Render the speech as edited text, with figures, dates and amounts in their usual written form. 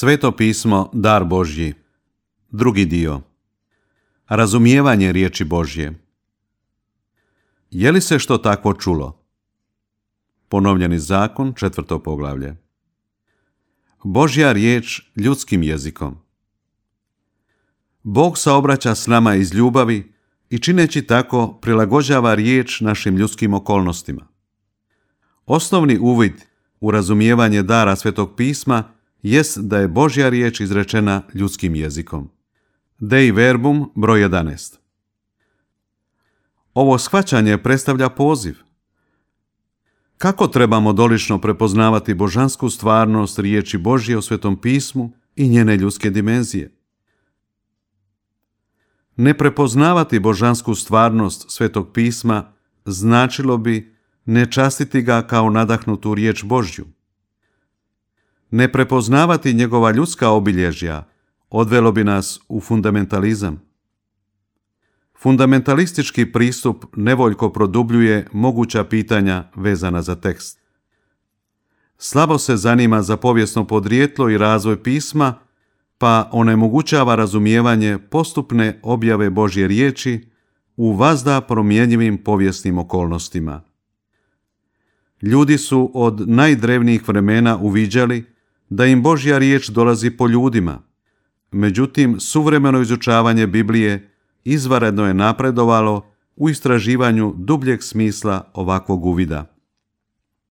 Sveto pismo, dar Božji. Drugi dio. Razumijevanje riječi Božje. Je li se što takvo čulo? Ponovljeni zakon, 4. poglavlje. Božja riječ ljudskim jezikom. Bog saobraća s nama iz ljubavi i čineći tako prilagođava riječ našim ljudskim okolnostima. Osnovni uvid u razumijevanje dara Svetog pisma jest da je Božja riječ izrečena ljudskim jezikom. Dei verbum, broj 11. Ovo shvaćanje predstavlja poziv. Kako trebamo dolično prepoznavati božansku stvarnost riječi Božje u Svetom pismu i njene ljudske dimenzije? Ne prepoznavati božansku stvarnost Svetog pisma značilo bi ne častiti ga kao nadahnutu riječ Božju. Ne prepoznavati njegova ljudska obilježja odvelo bi nas u fundamentalizam. Fundamentalistički pristup nevoljko produbljuje moguća pitanja vezana za tekst. Slabo se zanima za povijesno podrijetlo i razvoj pisma, pa onemogućava razumijevanje postupne objave Božje riječi u vazda promjenjivim povijesnim okolnostima. Ljudi su od najdrevnijih vremena uviđali da im Božja riječ dolazi po ljudima. Međutim, suvremeno izučavanje Biblije izvanredno je napredovalo u istraživanju dubljeg smisla ovakvog uvida.